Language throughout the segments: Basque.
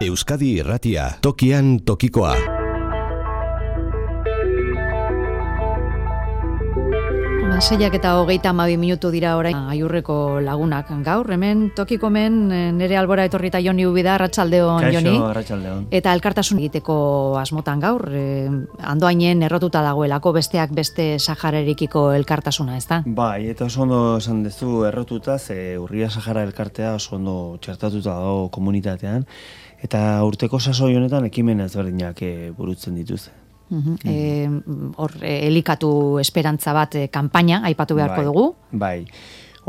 Euskadi Irratia, tokian tokikoa. Seiak eta 32 minutu dira orain Aiurreko lagunak gaur. Hemen tokikomen nere albora etorri eta Joni Ubida, arratsaldeon Joni. Kaixo, arratsaldeon. Eta elkartasun egiteko asmotan gaur, Andoainen errotuta dagoelako besteak beste Sahararikiko elkartasuna, ezta? Bai, eta oso ondo esan duzu errotuta, ze Urria Sahara elkartea oso ondo txertatuta dago komunitatean, eta urteko sasoi honetan ekimen ezberdinak burutzen dituzte. Hor, elikatu esperantza bat kanpaina aipatu beharko dugu. Bai,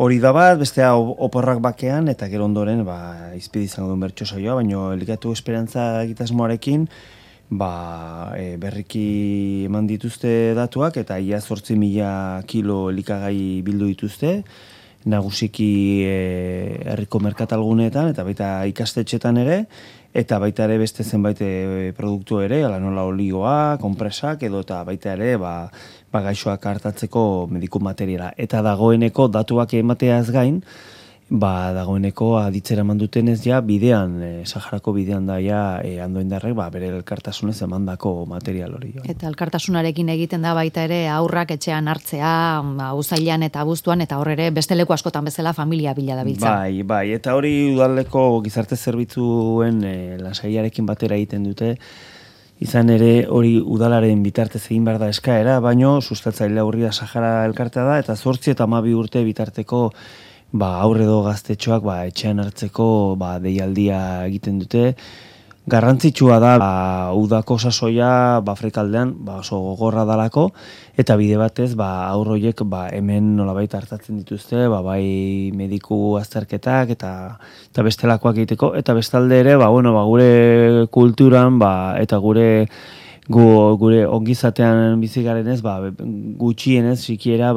hori da bat, bestea oporrak bakean, eta gero ondoren izpide izango duen bertso saioa, baina elikatu esperantza egitasmoarekin berriki eman dituzte datuak, eta ia 8.000 kilo elikagai bildu dituzte, nagusiki herriko merkatalguneetan, eta baita ikastetxetan ere, eta baita ere beste zenbait produktu ere, ala nola olioa, konpresak, edo eta baita ere gaixoak hartatzeko mediku materiala. Eta dagoeneko datuak emateaz gain, dagoeneko aditzera mandutenez ja bidean, Saharako bidean daia Andoaindarrek bere elkartasunez emandako material hori. Eta elkartasunarekin egiten da baita ere aurrak etxean hartzea, uztailean eta abuztuan, eta hor ere beste leku askotan bezala familia bila dabiltza. Bai, eta hori udaleko gizarte zerbitzuen lasaiarekin batera egiten dute, izan ere hori udalaren bitartez egin behar da eskaera, baino sustatzailea Urria Sahara elkartea da, eta 8 eta 12 urte bitarteko aurre edo gaztetxoak etxean hartzeko deialdia egiten dute. Garrantzitsua da udako sasoia frekaldean oso gogorra dalako, eta bide batez aurroiek hemen nolabait hartatzen dituzte, bai mediku azterketak eta bestelakoak egiteko, eta bestalde ere gure kulturan eta gure ongizatean bizigarenez gutxienez sikiera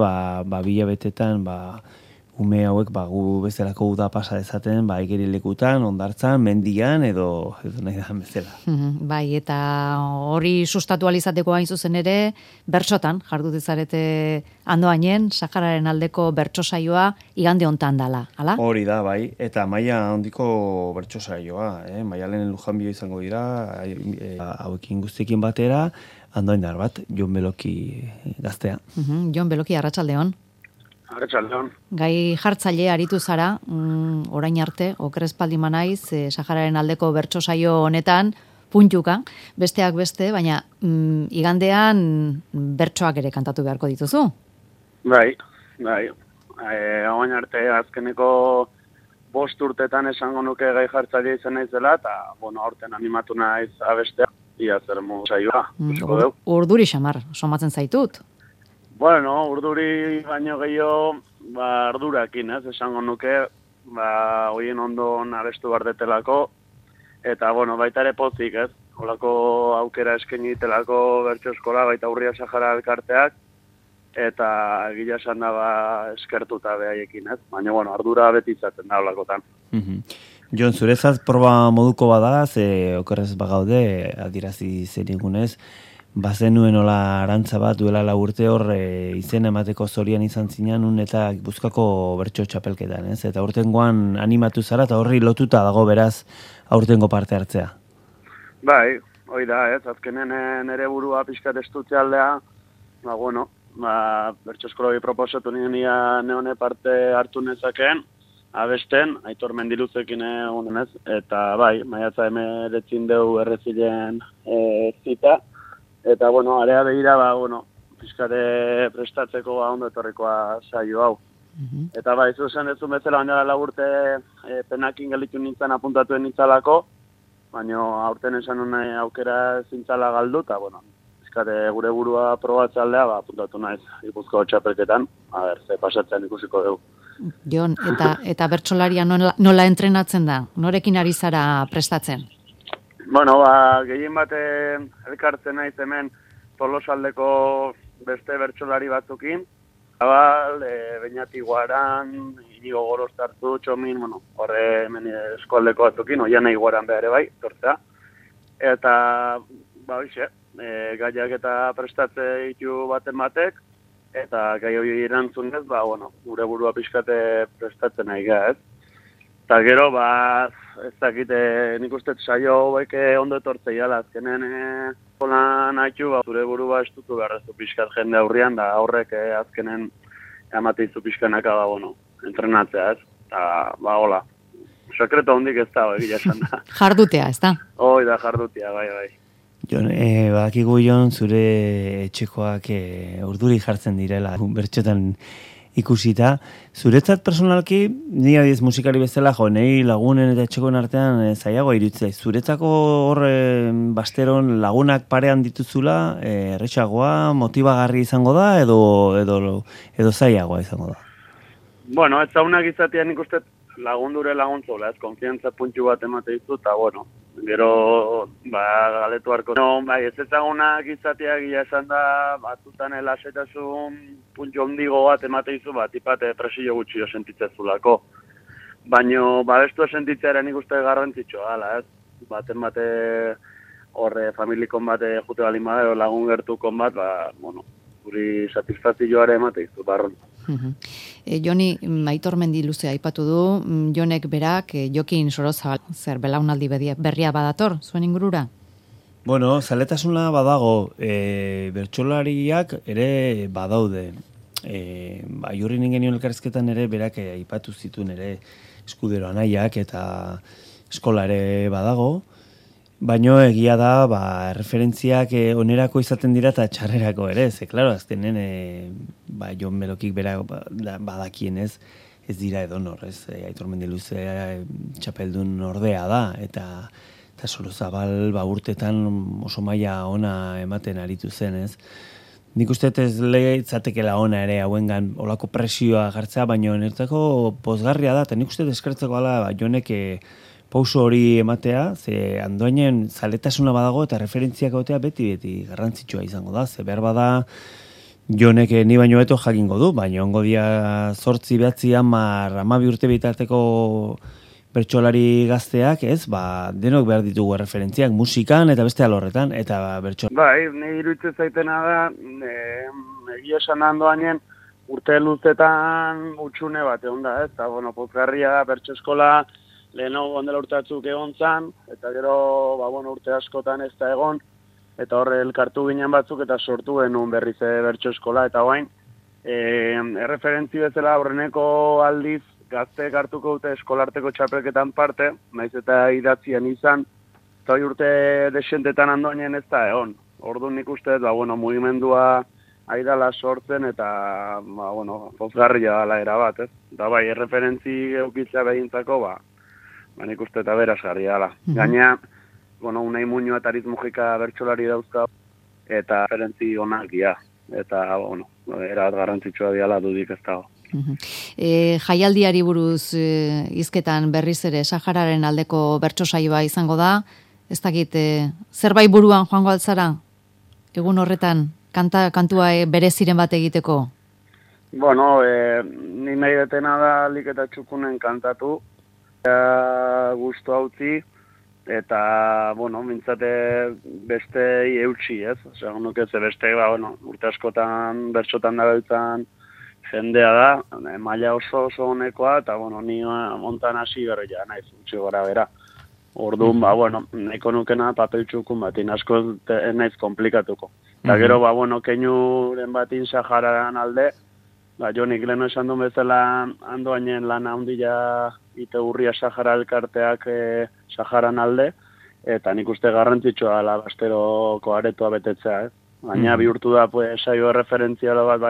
bilabetetan ume hauek gu bezalako uda pasa dezaten igerilekutan, ondartzan, mendian edo nahi da bezala. Bai, eta hori sustatu alizateko hain zuzen ere, bertsotan jardu dezarete Andoainen, Sahararen aldeko bertso saioa igande hontan dala, ala? Hori da, bai, eta maila handiko bertso saioa, Maialen Lujanbio izango dira, hauekin guztiekin batera, Andoaindar bat, Jon Beloki gaztea. Jon Beloki, arratsaldeon. Arratsaldeon. Gai jartzaile aritu zara, orain arte, okerrezpaldi manaiz, Sahararen aldeko bertso saio honetan, puntuka, besteak beste, baina igandean bertsoak ere kantatu beharko dituzu? Bai. Orain arte azkeneko 5 urtetan esango nuke gai jartzaile izan naizela, eta, aurten animatu naiz abestea, ia zer modu saioa. Urduri xamar, somatzen zaitut? Urduri baino gehiago, ardurakin, esango nuke, hoien ondon abestu bardetelako, eta, baita ere pozik, holako aukera eskaini ditelako bertso eskola, baita Urria Sahara elkarteak, eta egia esan da eskertuta behaiekin, baina, ardura beti izaten da holakotan. Jon, zurezat proba moduko bada, ze okerrez bagaude, adirazi zenigunez, bazenuen hola arantza bat duela 4 urte hor izena emateko zorian izan zinan eta Gipuzkoako bertso txapelketan, Eta aurtengoan animatu zara eta horri lotuta dago beraz aurtengo parte hartzea. Bai, hoi da, azkenen nere burua pixkat estutzealdea, bertso eskoloi proposatu nien neone parte hartu nezakeen, abesten, Aitor Mendiluzekin egunen eta bai, maiatza 19 deu errezilen zita, eta, area begira, pizkate prestatzeko ondo etorrikoa saio hau. Eta bai, zuzen ez bezala, baina 4 urte penakin gelitu nintzen apuntatuen nintzalako, baina aurten esan nahi aukera zintzala galdu, eta, pizkate gure burua probatzaldea, apuntatu naiz Gipuzkoako txapelketan, ze pasatzen ikusiko dugu. Jon, eta bertsolaria nola entrenatzen da? Norekin ari zara prestatzen? Gehien baten elkartzen naiz hemen Tolosaldeko beste bertsolari batzukin. Beñati Guaran, Inigo Gorostartu, Txomin, horre hemen eskualdeko batzukin, Oianei Guaran behar bai, tortzea. Eta, gaiak eta prestatze ditu baten batek, eta gai hori erantzunez, gure burua pixkate prestatzen nahi Eta gero, ez dakite, nik uste saio hauek ondo etortzei ala, azkenen holan haitu, zure burua estutu beharrezu pixkat jende aurrian, da horrek azkenen amateizu pixkanaka, entrenatzea, ez? Eta, hola, sekreto hondik ez da, egia esan da. Jardutea, ez da? Hoi da, jardutea, bai. Jon, badakigu Jon, zure etxekoak urduri jartzen direla, bertxotan ikusita. Zuretzat personalki, ni adiez musikari bezala, nahi lagunen eta etxekoen artean zailagoa iruditzea. Zuretzako horre basteron lagunak parean dituzula, erretxagoa, motibagarri izango da, edo zailagoa izango da? Bueno, ez zaunak izatean nik uste lagundure laguntzola, ez konfiantza puntu bat emate dizu, eta gero, galetu harko. Ez ezagunak izateak gila esan da, batzutan lasetasun puntu ondigo bat emate dizu, tipate presio gutxio sentitzezulako. Baina, bestu sentitzea nik uste garrantzitsua, ez? Bate horre familikon bat jute balin bada, lagun gertukon bat, guri satisfazioare emate dizu, barron. Joni, Aitor Mendiluzea aipatu du, Jonek berak, Jokin Sorozabal, zer belaunaldi berria badator, zuen ingurura? Bueno, zaletasuna badago, bertsolariak ere badaude. Aiurri ningenion elkarrizketan ere berak aipatu zituen ere eskudero anaiak eta eskola ere badago. Baino egia da, referentziak onerako izaten dira eta txarrerako ere, klaro, azkenen, Jon Belokik bera badakien ez dira edonor, ez, Aitor Mendiluzea txapeldun ordea da, eta Sorozabal urtetan oso maila ona ematen aritu zen, ez. Nik uste ez lehiatzatekela ona ere hauengan olako presioa jartzea, baino nertzako pozgarria da, eta nik uste eskertzeko ala, Jonek pauso hori ematea, ze Andoainen zaletasuna badago eta referentziak egotea beti garrantzitsua izango da, ze behar bada Jonek ni baino beto jakingo du, baina ongo dia 8, 9, 10, 12 urte bitarteko bertsolari gazteak, ez, denok behar ditugu referentziak musikan eta beste alorretan, eta bertsolari. Bai, ni iruditzen zaitena da, egia esan Andoainen urte luzetan utxune bat egon da, ez, eta pozgarria da bertso eskola, leheno ondela urte batzuk egon zan, eta gero, urte askotan ez da egon, eta horre elkartu ginen batzuk, eta sortu genuen berriz bertso eskola, eta guain, erreferentzi bezala aurreneko aldiz, gazteek hartuko dute eskolarteko txapelketan parte, naiz eta idatzian izan, eta urte desentetan Andoainen ez da egon. Orduan nik uste, mugimendua aidala sortzen, eta, pozgarria dala erabat, ez? Da erreferentzi eukitzea behintzako, nik uste eta berazgarria dala. Gaina, Unai Muñoa eta Ariz Mujika bertsolari dauzka, eta referentzi onak ia. Eta, erabat garrantzitsua diala dudik ez dago. Jaialdiari buruz hizketan berriz ere Sahararen aldeko bertso saioa izango da. Ez dakit, zerbait buruan joango altzara? Egun horretan, kantua bere ziren bat egiteko? Ni nahi detena da alik eta txukunen kantatu. Gustu hautzi, eta, mintzate bestei eutxi, ez? Osea, nuke ze beste, urte askotan, bertxotan da beltzan jendea da, maila oso honekoa, eta, ni montan hasi berria, naiz, utxi gora bera. Orduan, nahiko nukena papel txukun batin, asko naiz komplikatuko. Eta gero, keinuren batin Sahararen alde, Jonik leheno esan duen bezala Andoainen lana handia ite urria Sahara elkarteak Saharan alde, eta nik uste garrantzitsua dela basteroko aretoa betetzea, Baina bihurtu da saio referentziala bat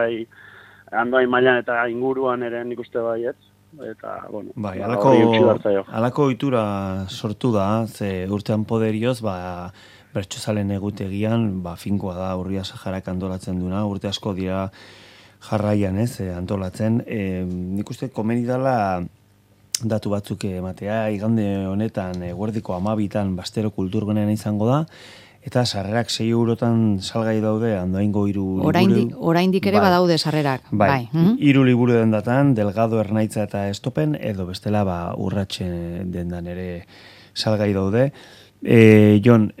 Andoain mailan eta inguruan ere nik uste baiet. Eta, alako ohitura sortu da, ze urtean poderioz, bertsozalen egutegian, finkoa da urria Saharak antolatzen duna, urte asko dira jarraian antolatzen. Nik uste komeni dela datu batzuk ematea, igande honetan eguerdiko 12 Bastero kulturgunean izango da, eta sarrerak 6 eurotan salgai daude Andoaingo 3 oraindik ere badaude sarrerak. Bai. 3 liburu dendatan, Delgado, Ernaitza eta Estopen, edo bestela urratxe dendan ere salgai daude. Jon,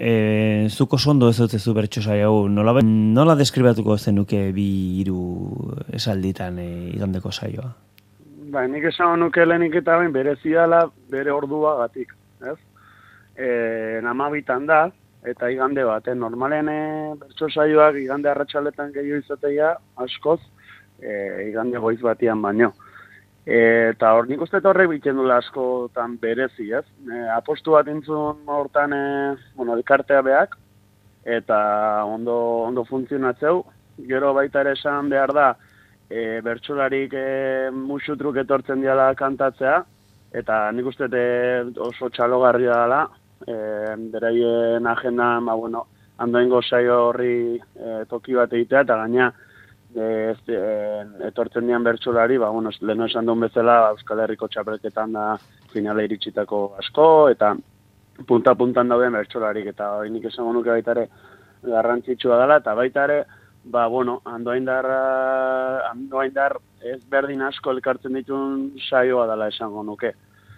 zuko sondo ez dutzezu bertso saio, nola deskribatuko zenuke 2-3 esalditan igandeko saioa? Bai, nik esan nuke lehenik eta bain berezidala bere ordua gatik, ez? Namabitan da, eta igande bat, normalen bertso saioak igande arratsaletan gehiago izatea askoz, igande goiz batian baino. Eta hor nik uste horrek biten dula askotan berezi, ez? Apostu bat intzun hortan, elkartea beak, eta ondo funtzionatzeu. Gero baita ere esan behar da, bertsolarik musutruk etortzen diala kantatzea, eta nik uste oso txalogarria dela, beraien agendan, andoengo saio horri toki bat egitea, eta gaina etortzen dian bertsolari, leheno esan duen bezala, Euskal Herriko txapelketan da finale iritsitako asko, eta punta-puntan dauden bertsolarik, eta hori nik esango nuke baita ere garrantzitsua dela, eta baita ere, andoaindar ez berdin asko elkartzen dituen saioa dela esango nuke.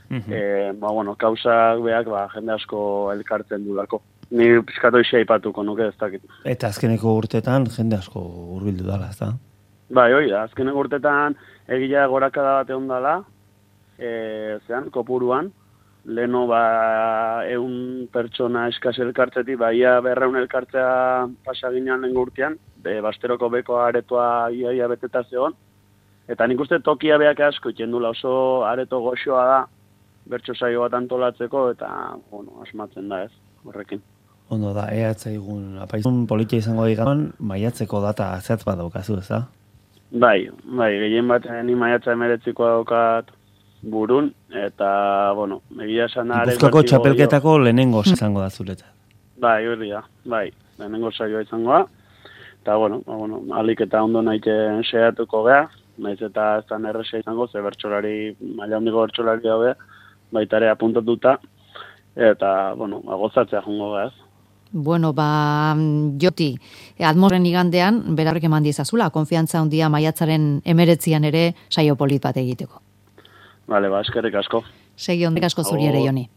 Kausak beak jende asko elkartzen dulako. Ni pizkatu isi aipatuko nuke ez dakit. Eta azkeneko urtetan jende asko hurbildu dala, ez da? Bai, hori da, azkeneko urtetan egia gorakada bat egon dala, kopuruan, leheno 100 pertsona eskaz elkartzetik, ia 200 elkartzea pasaginean lehen urtean, basteroko beko aretoa ia beteta zegoen, eta nik uste tokia beak asko itxendula oso areto goxoa da, bertso saio bat antolatzeko, eta, asmatzen da ez, horrekin. Ondo da, egun apaizun politia izango digan, maiatzeko data zehatz bat daukazu, ez da? Bai, gehien bat ni maiatza 19ko daukat burun, eta, egia esan da... Gipuzkoako txapelketako lehenengo izango da zuretzat. Bai, hori da, lehenengo saioa izango da, eta, alik eta ondo nahiten seiatuko geha, naiz eta ez da erresa izango, ze bertsolari, maila hondiko bertsolari daude, baita ere apuntatuta, eta, gozatzea jongo geha ez. Joti, Atmosren igandean, berarrek eman dizazula, konfiantza handia maiatzaren 19an ere saio polit bat egiteko. Bale, eskerrik asko. Segi ondik asko zuri ere, Joni.